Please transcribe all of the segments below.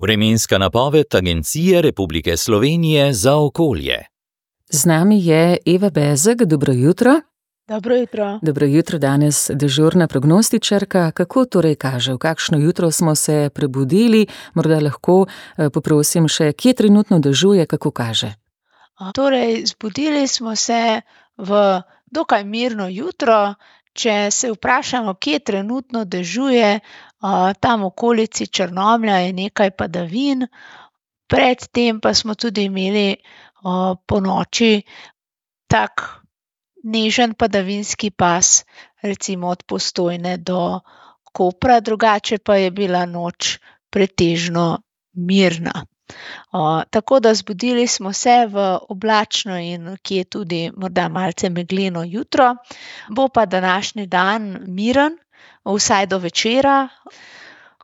Vremenska napoved Agencije Republike Slovenije za okolje. Z nami je Eva Bezeg, dobro jutro. Dobro jutro. Dobro jutro, danes dežurna prognostičarka. Kako torej kaže, v kakšno jutro smo se prebudili? Morda lahko poprosim še, kje trenutno dežuje, kako kaže? Torej, zbudili smo se v dokaj mirno jutro. Če se vprašamo, kje trenutno dežuje, tam v okolici Črnomlja je nekaj padavin. Predtem pa smo tudi imeli ponoči tak nežen padavinski pas, recimo od Postojne do Kopra, drugače pa je bila noč pretežno mirna. Tako da zbudili smo se v oblačno in kje tudi morda malce megleno jutro. Bo pa današnji dan miren, vsaj do večera,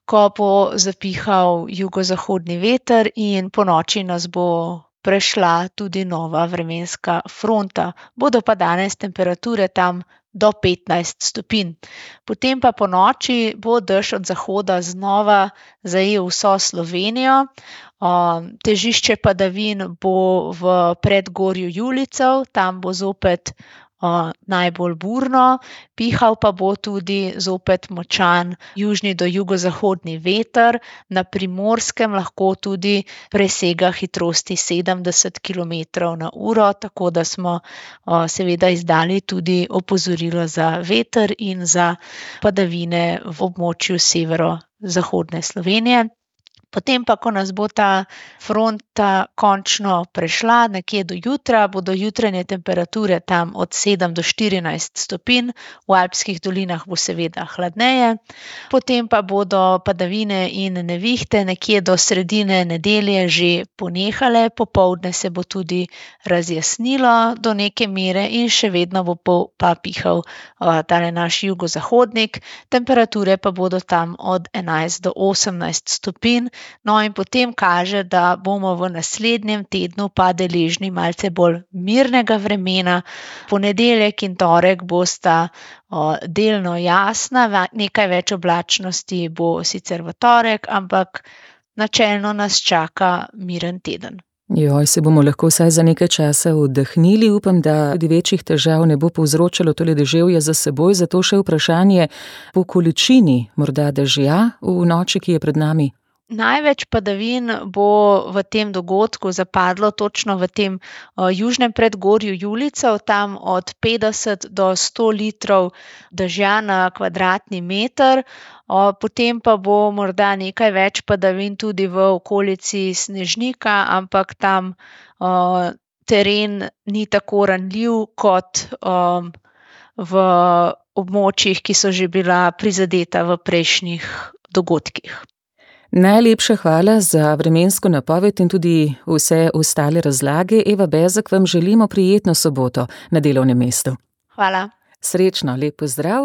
ko bo zapihal jugozahodni veter in ponoči nas bo prešla tudi nova vremenska fronta. Bodo pa danes temperature tam do 15 stopinj. Potem pa ponoči bo dež od zahoda znova zajel vso Slovenijo. Težišče padavin bo v predgorju Julijcev, tam bo zopet najbolj burno, pihal pa bo tudi zopet močan južni do jugozahodni veter, na Primorskem lahko tudi presega hitrosti 70 km/h, tako da smo seveda izdali tudi opozorilo za veter in za padavine v območju severozahodne Slovenije. Potem pa, ko nas bo ta fronta končno prešla, nekje do jutra, bodo jutranje temperature tam od 7 do 14 stopinj, v alpskih dolinah bo seveda hladneje. Potem pa bodo padavine in nevihte nekje do sredine nedelje že ponehale, popoldne se bo tudi razjasnilo do neke mere in še vedno bo pa pihal tale naš jugozahodnik. Temperature pa bodo tam od 11 do 18 stopinj. No, in potem kaže, da bomo v naslednjem tednu pa deležni malce bolj mirnega vremena. Ponedeljek in torek bosta delno jasna, nekaj več oblačnosti bo sicer v torek, ampak načelno nas čaka miren teden. Se bomo lahko vsaj za nekaj časa oddahnili. Upam, da tudi večjih težav ne bo povzročalo tole deževje za seboj. Zato še vprašanje po količini morda dežja v noči, ki je pred nami. Največ padavin bo v tem dogodku zapadlo točno v tem južnem predgorju Julijcev, tam od 50 do 100 litrov dežja na kvadratni meter. Potem pa bo morda nekaj več padavin tudi v okolici Snežnika, ampak tam teren ni tako ranljiv kot v območjih, ki so že bila prizadeta v prejšnjih dogodkih. Najlepša hvala za vremensko napoved in tudi vse ostale razlage. Eva Bezeg, vam želimo prijetno soboto na delovnem mestu. Hvala. Srečno, lep pozdrav.